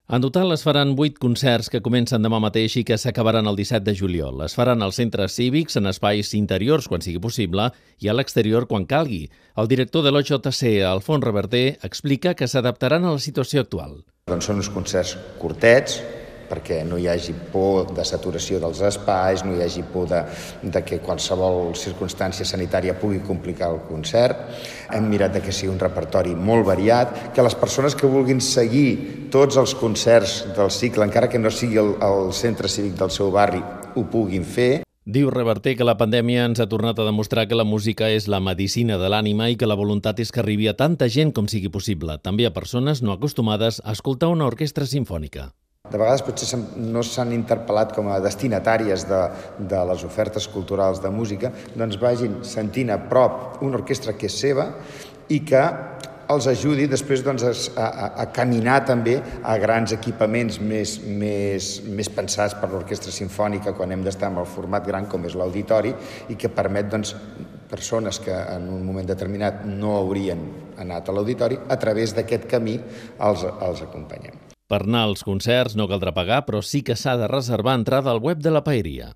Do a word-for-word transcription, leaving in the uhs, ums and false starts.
En total es faran vuit concerts que comencen demà mateix i que s'acabaran el disset de juliol. Es faran als centres cívics, en espais interiors quan sigui possible i a l'exterior quan calgui. El director de l'O J C, Alfons Reverter, explica que s'adaptaran a la situació actual. Doncs són uns concerts curtets, perquè no hi hagi por de saturació dels espais, no hi hagi por de, de que qualsevol circumstància sanitària pugui complicar el concert. Hem mirat de que sigui un repertori molt variat, que les persones que vulguin seguir tots els concerts del cicle, encara que no sigui el, el centre cívic del seu barri, ho puguin fer. Diu Reverter que la pandèmia ens ha tornat a demostrar que la música és la medicina de l'ànima i que la voluntat és que arribi a tanta gent com sigui possible, també a persones no acostumades a escoltar una orquestra simfònica. De vegades potser no s'han interpel·lat com a destinatàries de, de les ofertes culturals de música, doncs vagin sentint a prop una orquestra que és seva i que els ajudi després doncs, a, a, a caminar també a grans equipaments més, més, més pensats per l'orquestra simfònica quan hem d'estar en el format gran com és l'auditori i que permet doncs, persones que en un moment determinat no haurien anat a l'auditori, a través d'aquest camí els, els acompanyem. Per anar als concerts no caldrà pagar, però sí que s'ha de reservar entrada al web de la Paeria.